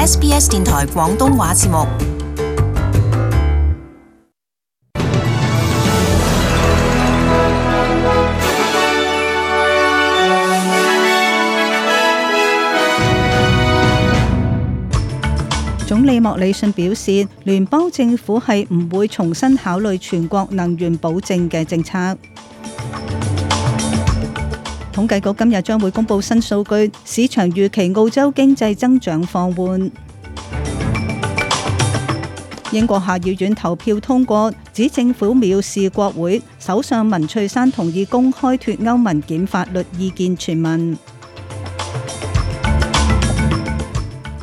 SBS 電台廣東話節目。總理莫里遜表示，聯邦政府係唔會重新考慮全國能源保證嘅政策。統計局今日將會公布新數據，市場預期澳洲經濟增長放緩。英國下議院投票通過，指政府藐視國會，首相文翠珊同意公開脫歐文件法律意見傳聞。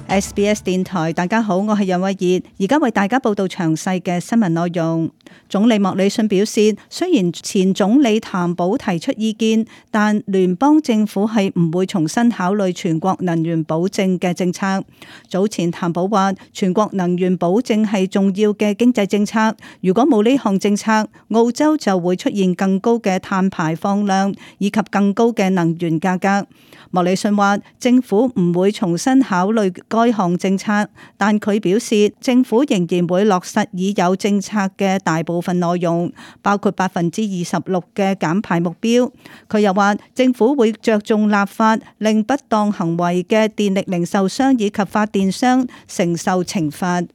SBS 電台，大家好，我係楊慧儀，而家為大家報道詳細嘅新聞內容。總理莫里遜表示，雖然前總理譚寶提出意見，但聯邦政府係唔會重新考慮全國能源保證嘅政策。早前譚寶話，全國能源保證係重要嘅經濟政策，如果冇呢項政策，澳洲就會出現更高嘅碳排放量以及更高嘅能源價格。莫里遜話，政府唔會重新考慮該項政策，但佢表示政府仍然會落實已有政策嘅大部分內容，包括26%嘅減排目標。佢又話，政府會着重立法，令不當行為嘅電力零售商以及發電商承受懲罰。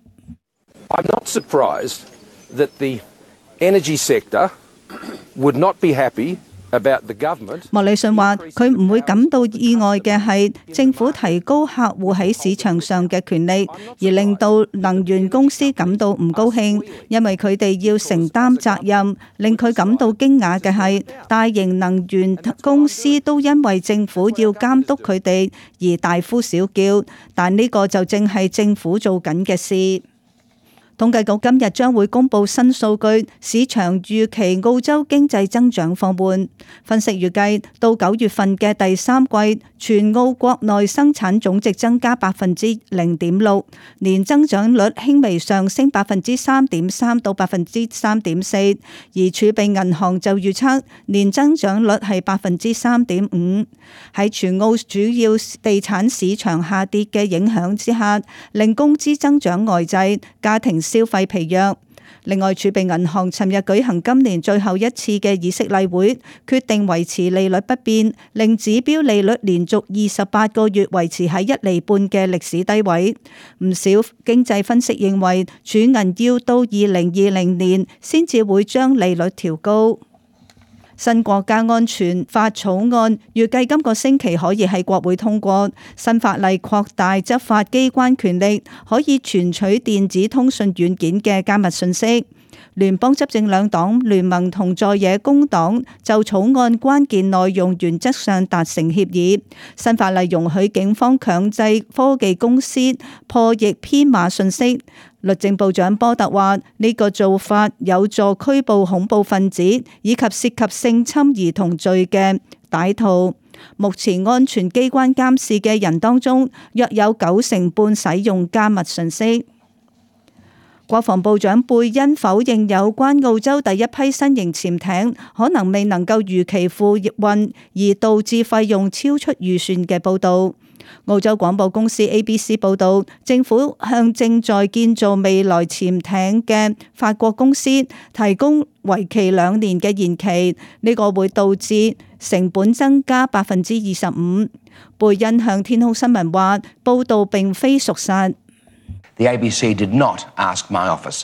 I'm not surprised that the energy sector would not be happy.莫里遜話：佢唔會感到意外嘅係政府提高客戶喺市場上嘅權利，而令到能源公司感到唔高興，因為佢哋要承擔責任。令佢感到驚訝嘅係大型能源公司都因為政府要監督佢哋而大呼小叫，但呢個就正係政府做緊嘅事。統計局今日將會公布新數據，市場預期澳洲經濟增長放緩。分析預計到9月份嘅第三季，全澳國內生產總值增加0.6%，年增長率輕微上升3.3%到3.4%，而儲備銀行就預測年增長率係3.5%。喺全澳主要地產市場下跌嘅影響之下，令工資增長呆滯，家庭消費疲弱。另外，儲備銀行尋日舉行今年最後一次嘅議息例會，決定維持利率不變，令指標利率連續28個月維持喺1厘半嘅歷史低位。唔少經濟分析認為，儲銀要到2020年先至會將利率調高。新國家安全法草案預計今個星期可以喺國會通過。新法例擴大執法機關權力，可以存取電子通訊軟件嘅加密信息。聯邦執政兩黨聯盟同在野工黨就草案關鍵內容原則上達成協議。新法例容許警方強制科技公司破譯編碼信息。律政部長波特話：呢個做法有助拘捕恐怖分子以及涉及性侵兒童罪嘅歹徒。目前安全機關監視嘅人當中，約有90%使用加密信息。國防部長貝恩否認有關澳洲第一批新型潛艇可能未能夠如期付運而導致費用超出預算嘅報導。澳洲廣播公司 ABC 報導，政府向正在建造未來潛艇嘅法國公司提供為期2年嘅延期，呢個會導致成本增加25%。貝恩向天空新聞話，報導並非屬實。The ABC did not ask my office.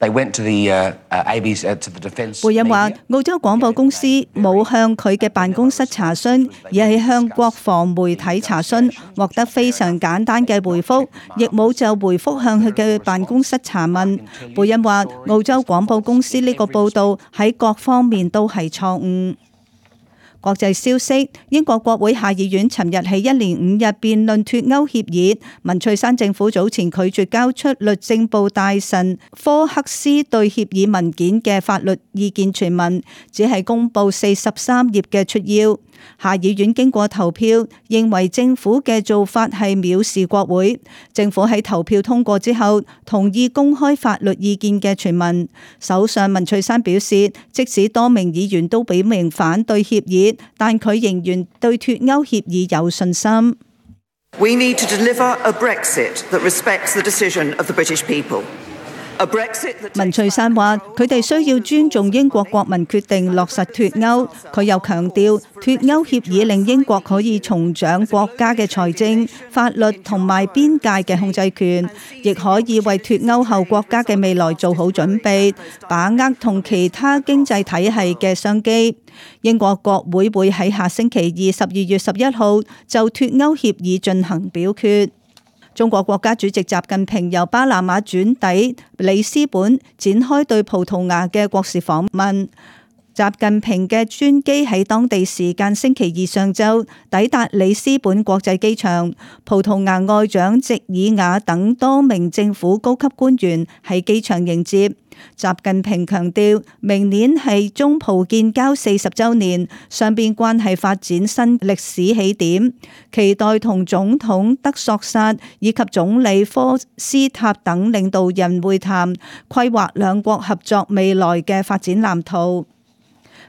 They went to the ABC to the defence. 貝恩話：澳洲廣播公司冇向佢嘅辦公室查詢，而係向國防媒體查詢，獲得非常簡單嘅回覆，亦冇就回覆向佢嘅辦公室查問。貝恩話：澳洲廣播公司呢個報導喺各方面都係錯誤。國際消息，英國國會下議院尋日起1連5日辯論脫歐協議。文翠珊政府早前拒絕交出律政部大臣科克斯對協議文件嘅法律意見傳聞，只係公布43頁嘅摘要。下議院經過投票，認為政府嘅做法係藐視國會。政府喺投票通過之後，同意公開法律意見嘅傳聞。首相文翠珊表示，即使多名議員都表明反對協議，但佢仍然對脫歐協議有信心。We need to deliver a Brexit that respects the decision of the British people. 文翠珊話：佢哋需要尊重英國國民決定落實脫歐。佢又強調，脫歐協議令英國可以重掌國家嘅財政、法律同埋邊界嘅控制權，亦可以為脫歐後國家嘅未來做好準備，把握同其他經濟體系嘅商機。英國國會會喺下星期二12月11號就脫歐協議進行表決。中國國家主席習近平由巴拿馬轉抵里斯本，展開對葡萄牙嘅國事訪問。習近平嘅專機喺當地時間星期二上晝抵達里斯本國際機場，葡萄牙外長席爾瓦等多名政府高級官員喺機場迎接。習近平強調，明年係中葡建交40週年，雙邊關係發展新歷史起點，期待同總統德索薩以及總理科斯塔等領導人會談，規劃兩國合作未來嘅發展藍圖。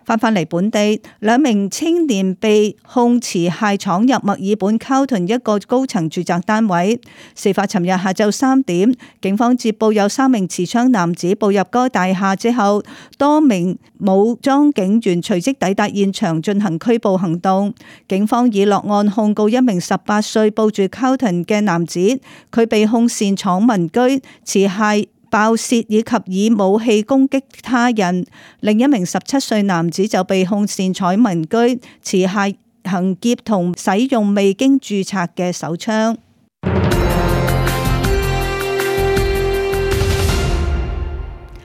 返嚟本地，兩名青年被控持械闖入墨爾本 Carlton 一個高層住宅單位。事發尋日下晝3點，警方接報有3名持槍男子步入該大廈之後，多名武裝警員隨即抵達現場進行拘捕行動。警方已落案控告一名18歲報住 Carlton 嘅男子，佢被控擅闖民居、持械爆竊以及以武器攻擊他人。另一名17歲男子就被控擅闖民居、持械行劫同使用未經註冊嘅手槍。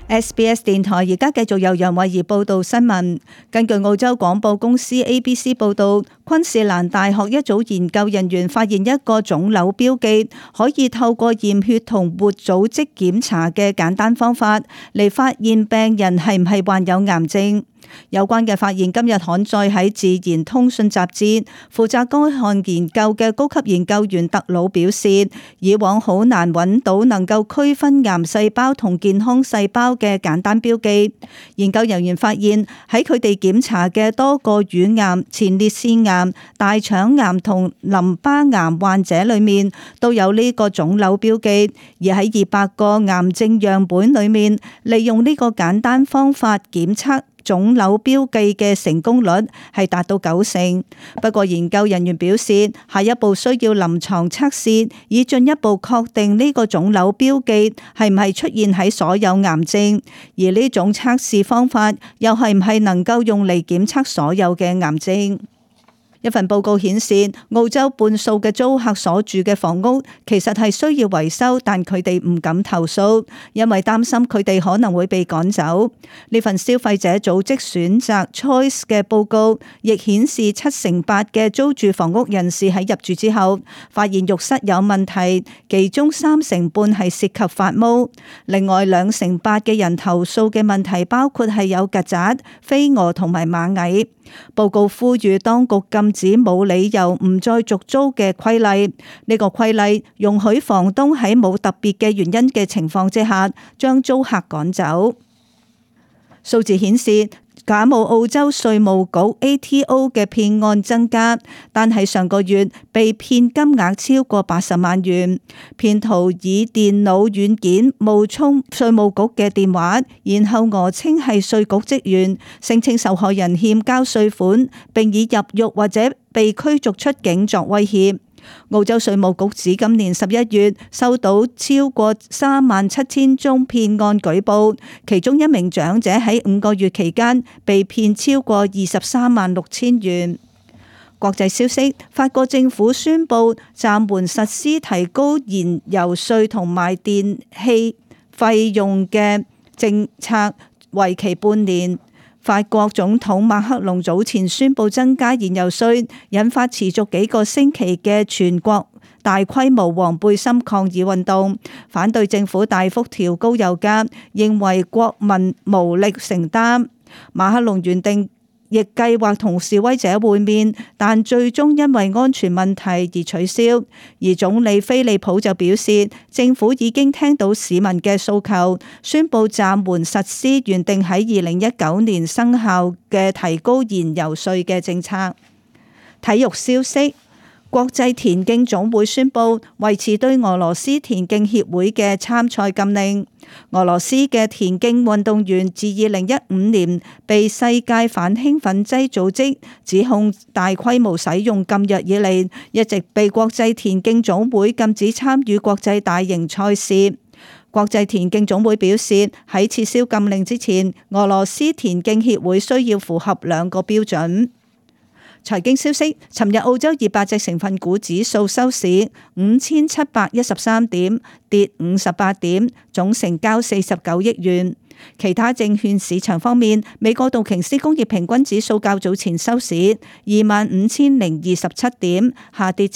SBS 電台而家繼續由楊慧儀報道新聞。根據澳洲廣播公司 ABC 報道，昆士蘭大學一組研究人員發現一個腫瘤標記，可以透過驗血同活組織檢查嘅簡單方法嚟發現病人係唔係患有癌症。有關嘅發現今日刊載喺《自然通訊》雜誌。負責該項研究嘅高級研究員特魯表示，以往好難揾到能夠區分癌細胞同健康細胞嘅簡單標記。研究人員發現喺佢哋檢查嘅多個乳癌、前列腺癌、大腸癌同淋巴癌患者裏面都有呢個腫瘤標記，而喺200個癌症樣本裏面，利用呢個簡單方法檢測腫瘤標記嘅成功率係達到90%。不過研究人員表示，下一步需要臨床測試，以進一步確定呢個腫瘤標記係唔係出現喺所有癌症，而呢種測試方法又係唔係能夠用嚟檢測所有嘅癌症。一份報告顯示，澳洲半數嘅租客所住嘅房屋其實係需要維修，但佢哋唔敢投訴，因為擔心佢哋可能會被趕走。呢份消費者組織選擇 Choice 嘅報告亦顯示，78%嘅租住房屋人士喺入住之後發現浴室有問題，其中3成半係涉及發毛。另外2成8嘅人投訴嘅問題包括係有曱甴、飛蛾同埋螞蟻。報告呼籲當局禁止冇理由唔再續租嘅規例。呢個規例容許房東喺冇特別嘅原因嘅情況之下，將租客趕走。數字顯示，假冒澳洲稅務局 ATO 嘅騙案增加，但係上個月被騙金額超過80萬元。騙徒以電腦軟件冒充稅務局嘅電話，然後訛稱係稅局職員，聲稱受害人欠交稅款，並以入獄或者被驅逐出境作威脅。澳洲稅務局指今年11月收到超過37000宗騙案舉報，其中一名長者喺5個月期間被騙超過236000元。國際消息，法國政府宣布暫緩實施提高燃油稅同埋電氣費用嘅政策，為期半年。法國總統馬克龍早前宣布增加燃油稅，引發持續幾個星期嘅全國大規模黃背心抗議運動，反對政府大幅調高油價，認為國民無力承擔。馬克龍原定亦計劃同示威者會面，但最終因為安全問題而取消。而總理菲利普就表示，政府已經聽到市民嘅訴求，宣布暫緩實施原定喺2019年生效嘅提高燃油稅嘅政策。體育消息。國際田徑總會宣布維持對俄羅斯田徑協會嘅參賽禁令。俄羅斯嘅田徑運動員自2015年被世界反興奮劑組織指控大規模使用禁藥以嚟，一直被國際田徑總會禁止參與國際大型賽事。國際田徑總會表示，喺撤銷禁令之前，俄羅斯田徑協會需要符合2個標準。財經消息，尋日澳洲200隻成分股指數收市5713點，跌58點，總成交49億元。其他證券市場方面，美國道瓊斯工業平均指數較早前收市25027點，下跌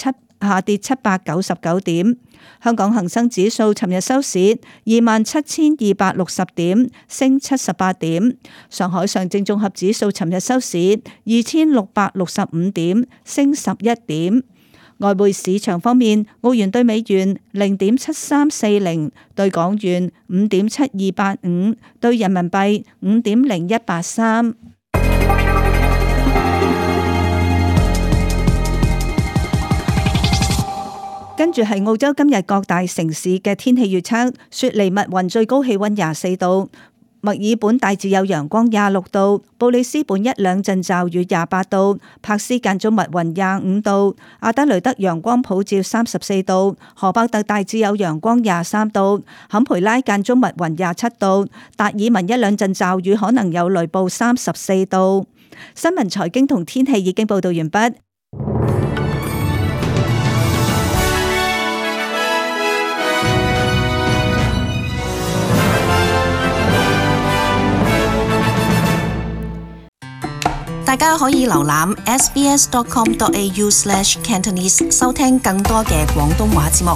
799點。香港恒生指數尋日收市27260點，升78點。上海上證綜合指數尋日收市2665點，升11點。外匯市場方面，澳元對美元0.7340，對港元5.7285，對人民幣5.0183。跟住係澳洲今日各大城市嘅天氣預測：雪梨密雲最高氣溫24度，墨爾本大致有陽光26度，布里斯本一兩陣驟雨28度，柏斯間中密雲25度，阿德雷德陽光普照34度，荷伯特大致有陽光23度，坎培拉間中密雲27度，達爾文一兩陣驟雨可能有雷暴34度。新聞財經同天氣已經報道完畢。大家可以瀏覽 sbs.com.au/cantonese 收聽更多嘅廣東話節目。